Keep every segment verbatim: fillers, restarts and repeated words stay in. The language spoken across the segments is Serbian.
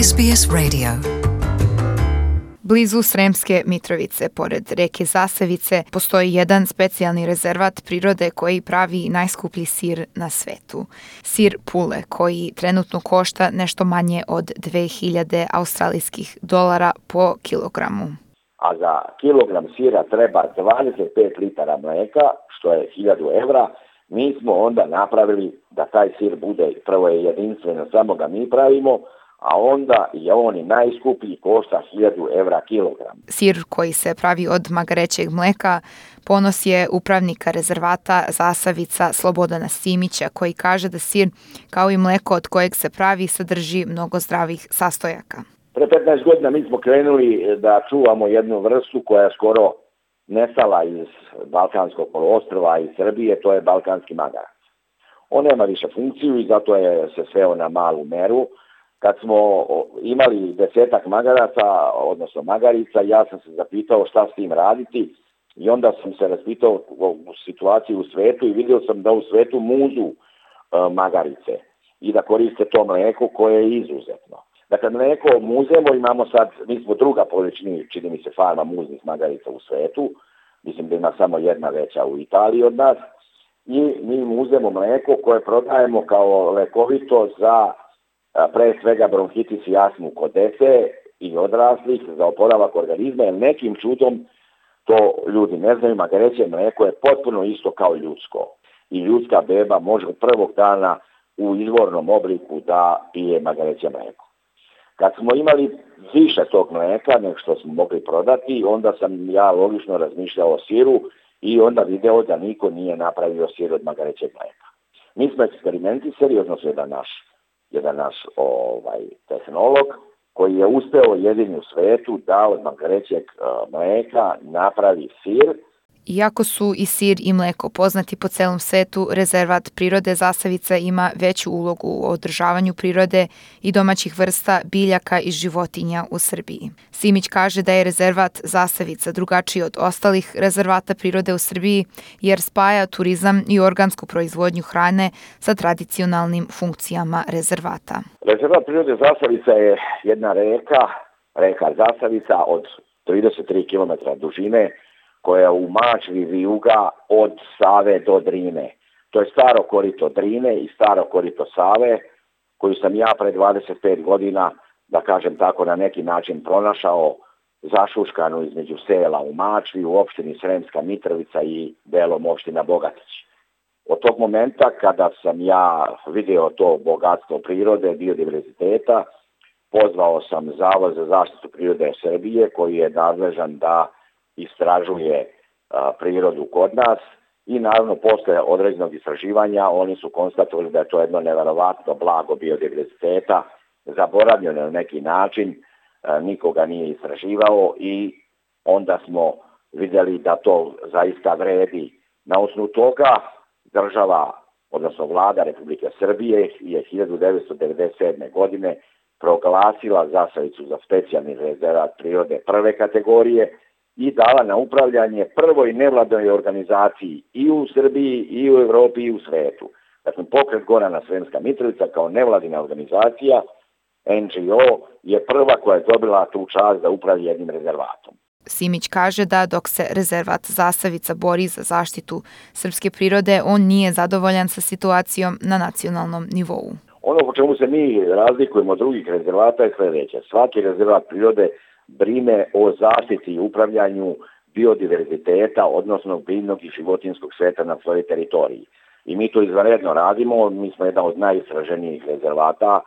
S B S Radio. Blizu Sremske Mitrovice, pored reke Zasavice, postoji jedan specijalni rezervat prirode koji pravi najskuplji sir na svetu. Sir Pule, koji trenutno košta nešto manje od dve hiljade australijskih dolara po kilogramu. A za kilogram sira treba dvadeset pet litara mlijeka, što je hiljadu evra. Mi smo onda napravili da taj sir bude, prvo je jedinstveno, samo ga mi pravimo, a onda je on i najskuplji, košta hiljadu evra kilogram. Sir koji se pravi od magarećeg mleka ponos je upravnika rezervata Zasavica Slobodana Simića, koji kaže da sir, kao i mleko od kojeg se pravi, sadrži mnogo zdravih sastojaka. Pre petnaest godina mi smo krenuli da čuvamo jednu vrstu koja je skoro nestala iz Balkanskog poluostrva i Srbije, to je balkanski magarac. On nema više funkciju i zato je se sveo na malu meru. Kad smo imali desetak magaraca, odnosno magarica, ja sam se zapitao šta s tim raditi i onda sam se raspitao u situaciji u svetu i vidio sam da u svetu muzu e, magarice i da koriste to mlijeko koje je izuzetno. Dakle, mlijeko muzemo, imamo sad, mi smo druga po veličini, čini mi se, farma muznih magarica u svetu, mislim da ima samo jedna veća u Italiji od nas, i mi muzemo mlijeko koje prodajemo kao lekovito za pre svega bronhitis i astmu kod dece i odraslih, za oporavak organizma, jer nekim čudom, to ljudi ne znaju, magareće mlijeko je potpuno isto kao ljudsko. I ljudska beba može od prvog dana u izvornom obliku da pije magareće mlijeko. Kad smo imali više tog mlijeka nego što smo mogli prodati, onda sam ja logično razmišljao o siru i onda video da niko nije napravio sir od magarećeg mlijeka. Mi smo eksperimentisali, odnosno jedan naš jedan naš ovaj, tehnolog koji je uspeo jedini u svetu da od magarećeg uh, mlijeka napravi sir. Iako su i sir i mleko poznati po celom svetu, rezervat prirode Zasavica ima veću ulogu u održavanju prirode i domaćih vrsta biljaka i životinja u Srbiji. Simić kaže da je rezervat Zasavica drugačiji od ostalih rezervata prirode u Srbiji jer spaja turizam i organsku proizvodnju hrane sa tradicionalnim funkcijama rezervata. Rezervat prirode Zasavica je jedna reka, reka Zasavica od trideset tri kilometra dužine, koja u Mačvi vijuga od Save do Drine. To je staro korito Drine i staro korito Save, koju sam ja pre dvadeset pet godina, da kažem tako, na neki način pronašao zašuškanu između sela u Mačvi, u opštini Sremska Mitrovica i delom opština Bogatić. Od tog momenta kada sam ja video to bogatstvo prirode, biodiverziteta, pozvao sam Zavod za zaštitu prirode Srbije, koji je nadležan da istražuje a, prirodu kod nas i naravno posle određenog istraživanja oni su konstatovali da je to jedno neverovatno blago biodiverziteta, zaboravljeno na neki način, a, nikoga nije istraživao i onda smo vidjeli da to zaista vredi. Na osnovu toga država, odnosno vlada Republike Srbije je hiljadu devetsto devedeset sedme. godine proglasila Zasavicu za specijalni rezervat prirode prve kategorije i dala na upravljanje prvoj nevladnoj organizaciji i u Srbiji, i u Evropi, i u svetu. Dakle, Pokret Gorana Sremska Mitrovica kao nevladina organizacija, N G O, je prva koja je dobila tu čast da upravi jednim rezervatom. Simić kaže da dok se rezervat Zasavica bori za zaštitu srpske prirode, on nije zadovoljan sa situacijom na nacionalnom nivou. Ono po čemu se mi razlikujemo od drugih rezervata je sledeće. Svaki rezervat prirode brine o zaštiti i upravljanju biodiverziteta, odnosno biljnog i životinjskog sveta na svojoj teritoriji. I mi to izvanredno radimo, mi smo jedan od najistraženijih rezervata,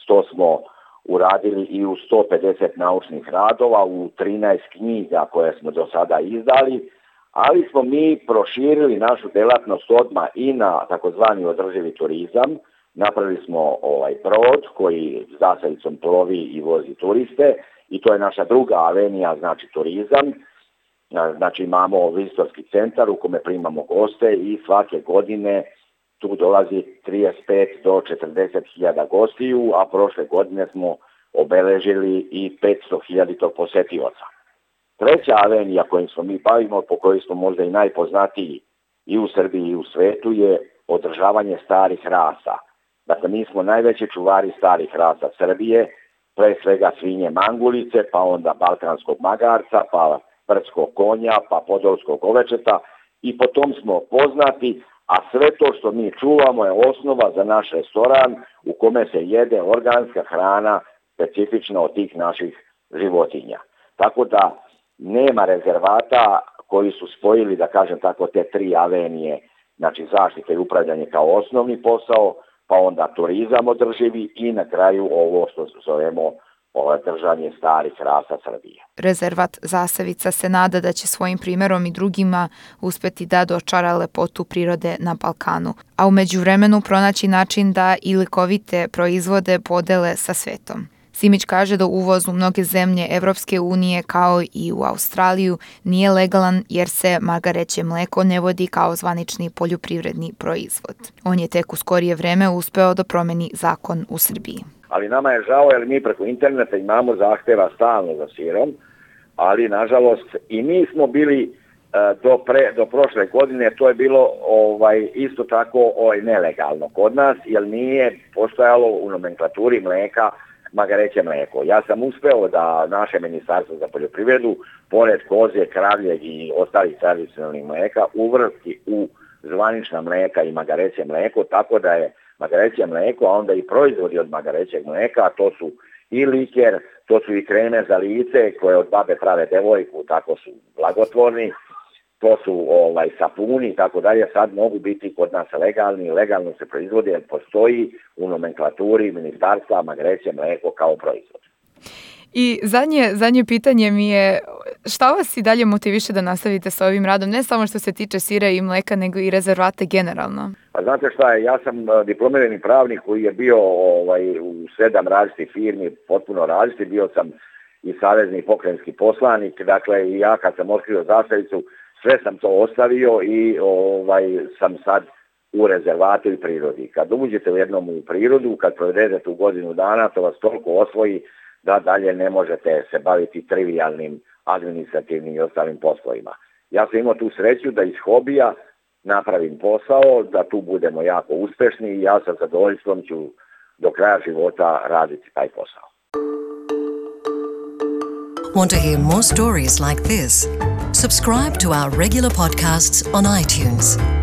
to smo uradili i u sto pedeset naučnih radova, u trinaest knjiga koje smo do sada izdali, ali smo mi proširili našu delatnost odmah i na takozvani održivi turizam. Napravili smo ovaj brod koji Zasavicom plovi i vozi turiste i to je naša druga avenija, znači turizam. Znači imamo vizitorski centar u kome primamo goste i svake godine tu dolazi trideset pet do četrdeset hiljada gostiju, a prošle godine smo obeležili i petsto hiljada posetioca. Treća avenija kojim smo mi bavimo, po kojoj smo možda i najpoznatiji i u Srbiji i u svetu, je održavanje starih rasa. Dakle, mi smo najveći čuvari starih rasa Srbije pre svega svinje mangulice, pa onda balkanskog magarca, pa brdskog konja, pa podolskog ovečeta i po tom smo poznati, a sve to što mi čuvamo je osnova za naš restoran u kome se jede organska hrana specifična od tih naših životinja. Tako da nema rezervata koji su spojili, da kažem tako, te tri avenije, znači zaštite i upravljanje kao osnovni posao, pa onda turizam održivi i na kraju ovo što zovemo držanje starih rasa Srbije. Rezervat Zasavica se nada da će svojim primjerom i drugima uspeti da dočara lepotu prirode na Balkanu, a u međuvremenu pronaći način da i lekovite proizvode podele sa svetom. Simić kaže da uvoz u mnoge zemlje Evropske unije kao i u Australiju nije legalan jer se margareće mleko ne vodi kao zvanični poljoprivredni proizvod. On je tek u skorije vreme uspeo da promeni zakon u Srbiji. Ali nama je žao jer mi preko interneta imamo zahteva stalno za sirom, ali nažalost i mi smo bili do, pre, do prošle godine, to je bilo ovaj, isto tako ovaj, nelegalno kod nas, jer nije postojalo u nomenklaturi mleka magareće mleko. Ja sam uspeo da naše ministarstvo za poljoprivredu, pored koze, kravljeg i ostalih tradicionalnih mleka, uvrsti u zvanična mleka i magareće mleko, tako da je magareće mleko, a onda i proizvodi od magarećeg mleka, a to su i liker, to su i kreme za lice koje od babe prave devojku, tako su blagotvorni, to su ovaj, sapuni i tako dalje, sad mogu biti kod nas legalni, legalno se proizvode jer postoji u nomenklaturi ministarstva magareće mleko kao proizvod. I zadnje, zadnje pitanje mi je, šta vas i dalje motiviše da nastavite sa ovim radom, ne samo što se tiče sira i mleka, nego i rezervate generalno? Pa znate šta je, ja sam diplomirani pravnik koji je bio ovaj, u sedam različitih firmi, potpuno različiti, bio sam i savezni pokrajinski poslanik, dakle i ja kad sam otkrio Zasavicu, sve sam to ostavio i ovaj, sam sad u rezervatu i prirodi. Kad uđete u jednom u prirodu, kad provedete u godinu dana, to vas toliko osvoji da dalje ne možete se baviti trivijalnim, administrativnim i ostalim poslovima. Ja sam imao tu sreću da iz hobija napravim posao, da tu budemo jako uspešni i ja sa zadovoljstvom ću do kraja života raditi taj posao. Want to hear more stories like this? Subscribe to our regular podcasts on iTunes.